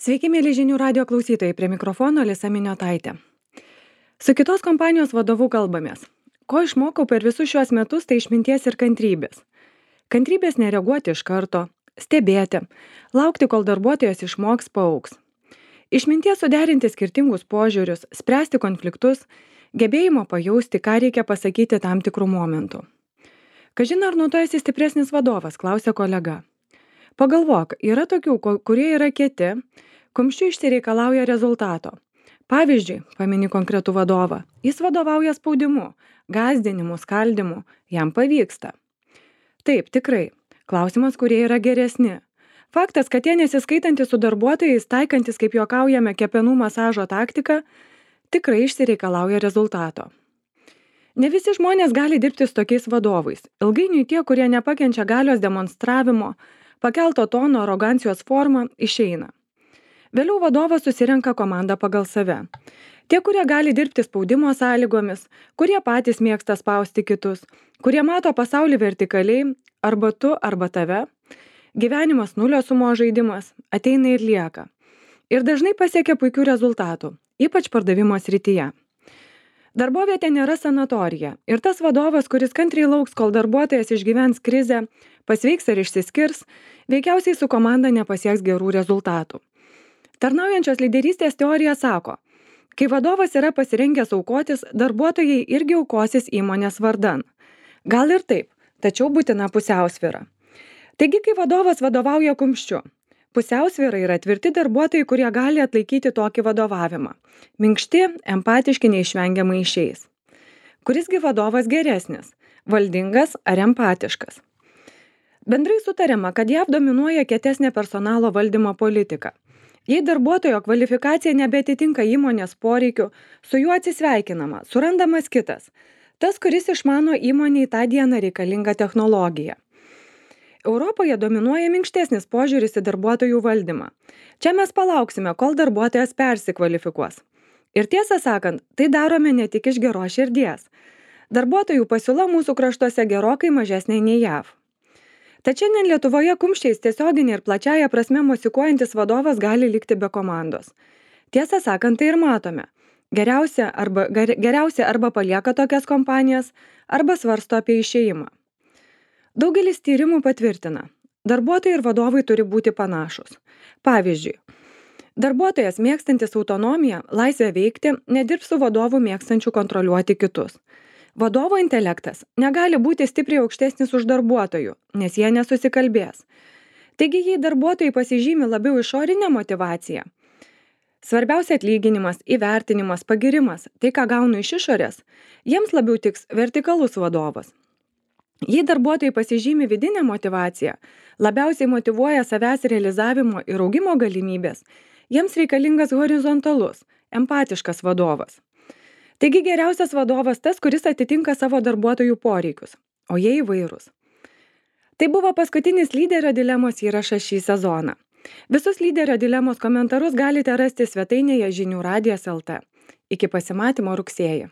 Sveiki, mėly žinių radio klausytojai, prie mikrofono Alisa Miniotaitė. Su kitos kompanijos vadovu kalbamės. Ko išmokau per visus šiuos metus, tai išminties ir kantrybės. Kantrybės nereaguoti iš karto, stebėti, laukti, kol darbuotojas išmoks, paaugs. Išminties suderinti skirtingus požiūrius, spręsti konfliktus, gebėjimo pajausti, ką reikia pasakyti tam tikrų momentų. Kažin ar nuo to esi stipresnis vadovas, klausė kolega. Pagalvok, yra tokių, kurie yra kieti, kumščiu išsireikalauja rezultato. Pavyzdžiui, pamini konkretų vadovą, jis vadovauja spaudimu, gąsdinimu, skaldimu, jam pavyksta. Taip, tikrai, klausimas, kurie yra geresni. Faktas, kad jie nesiskaitantis su darbuotojais, taikantis, kaip juokaujame, kepenų masažo taktiką, tikrai išsireikalauja rezultato. Ne visi žmonės gali dirbti su tokiais vadovais. Ilgainiui tie, kurie nepakenčia galios demonstravimo, pakelto tono, arogancijos formą, išeina. Vėliau vadovas susirenka komandą pagal save. Tie, kurie gali dirbti spaudimo sąlygomis, kurie patys mėgsta spausti kitus, kurie mato pasaulį vertikaliai, arba tu, arba tave, gyvenimas nulio sumos žaidimas, ateina ir lieka. Ir dažnai pasiekia puikių rezultatų, ypač pardavimo srityje. Darbovietė nėra sanatorija ir tas vadovas, kuris kantriai lauks, kol darbuotojas išgyvens krizę, pasveiks ar išsiskirs, veikiausiai su komanda nepasieks gerų rezultatų. Tarnaujančios lyderystės teorija sako, kai vadovas yra pasirengęs aukotis, darbuotojai irgi aukosis įmonės vardan. Gal ir taip, tačiau būtina pusiausvyra. Taigi, kai vadovas vadovauja kumščiu, pusiausvyra yra tvirti darbuotojai, kurie gali atlaikyti tokį vadovavimą. Minkšti, empatiški neišvengiamai išeis. Kurisgi vadovas geresnis, valdingas ar empatiškas? Bendrai sutariama, kad JAV dominuoja kietesnė personalo valdymo politika. Jei darbuotojo kvalifikacija nebeatitinka įmonės poreikių, su juo atsisveikinama, surandamas kitas. Tas, kuris išmano įmonei tą dieną reikalingą technologiją. Europoje dominuoja minkštesnis požiūris į darbuotojų valdymą. Čia mes palauksime, kol darbuotojas persikvalifikuos. Ir tiesą sakant, tai darome ne tik iš geros širdies. Darbuotojų pasiūla mūsų kraštuose gerokai mažesnė nei JAV. Tačiau šiandien Lietuvoje kumščiais tiesioginė ir plačiaja prasme mosikuojantis vadovas gali likti be komandos. Tiesą sakant, tai ir matome. Geriausia arba palieka tokias kompanijas, arba svarsto apie išėjimą. Daugelis tyrimų patvirtina, darbuotojai ir vadovai turi būti panašus. Pavyzdžiui, darbuotojas mėgstantis autonomiją, laisvę veikti, nedirbs su vadovu mėgstančiu kontroliuoti kitus. Vadovo intelektas negali būti stipriai aukštesnis už darbuotojų, nes jie nesusikalbės. Taigi, jei darbuotojai pasižymi labiau išorinę motivaciją, svarbiausia atlyginimas, įvertinimas, pagirimas, tai ką gaunu iš išorės, jiems labiau tiks vertikalus vadovas. Jei darbuotojai pasižymi vidinę motivaciją, labiausiai motyvuoja savęs realizavimo ir augimo galimybės, jiems reikalingas horizontalus, empatiškas vadovas. Taigi geriausias vadovas tas, kuris atitinka savo darbuotojų poreikius, o jie įvairūs. Tai buvo paskutinis lyderio dilemos įrašas šį sezoną. Visus lyderio dilemos komentarus galite rasti svetainėje žinių radijas LT. Iki pasimatymo rugsėjį.